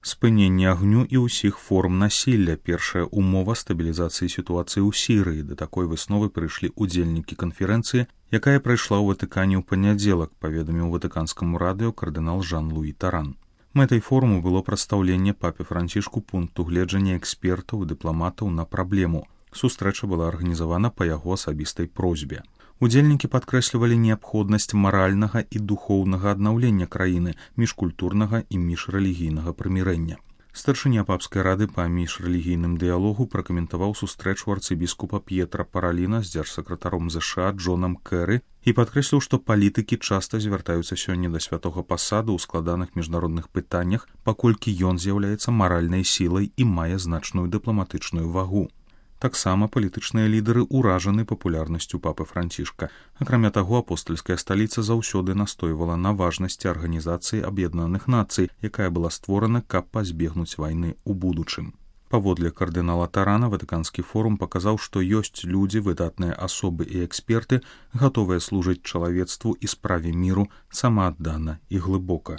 Спыненне агню і ўсіх форм насілля – першая умова стабілізацыі сітуацыі ў Сірыі. Да такой высновы прыйшлі ўдзельнікі канферэнцыі, якая прайшла ў Ватыкане ў панядзелак, паведаміў ватыканскаму радыё кардынал Жан-Луі Таран. Мэтай форуму было прадстаўленне папе Францішку пункту гледжання экспертаў і дыпламатаў на праблему. Сустрэча была арганізавана па яго асабістай просьбе. Удзельнікі падкрэслівалі неабходнасць маральнага і духоўнага аднаўлення краіны, міжкультурнага і міжрэлігійнага прымірэння. Старшыня папскай рады па міжрэлігійным дыялогу пракаментаваў сустрэчу арцыбіскупа П'етра Параліна з дзяржсакратаром ЗША Джонам Кэры і падкрэсліў, што палітыкі часта звяртаюцца сёння да святога пасаду ў складаных міжнародных пытаннях, паколькі ён з'яўляецца маральнай сілай і мае значную дыпламатычную вагу. Таксама палітычныя лідары ўражаны папулярнасцю папы Францішка. Акрамя таго, апостальская сталіца заўсёды настойвала на важнасці Арганізацыі Аб'яднаных Нацый, якая была створана, каб пазбегнуць вайны ў будучым. Паводле кардынала Тарана, Ватыканскі форум паказаў, што ёсць людзі, выдатныя асобы і эксперты, гатовыя служыць чалавецтву і справе міру самааддана і глыбока.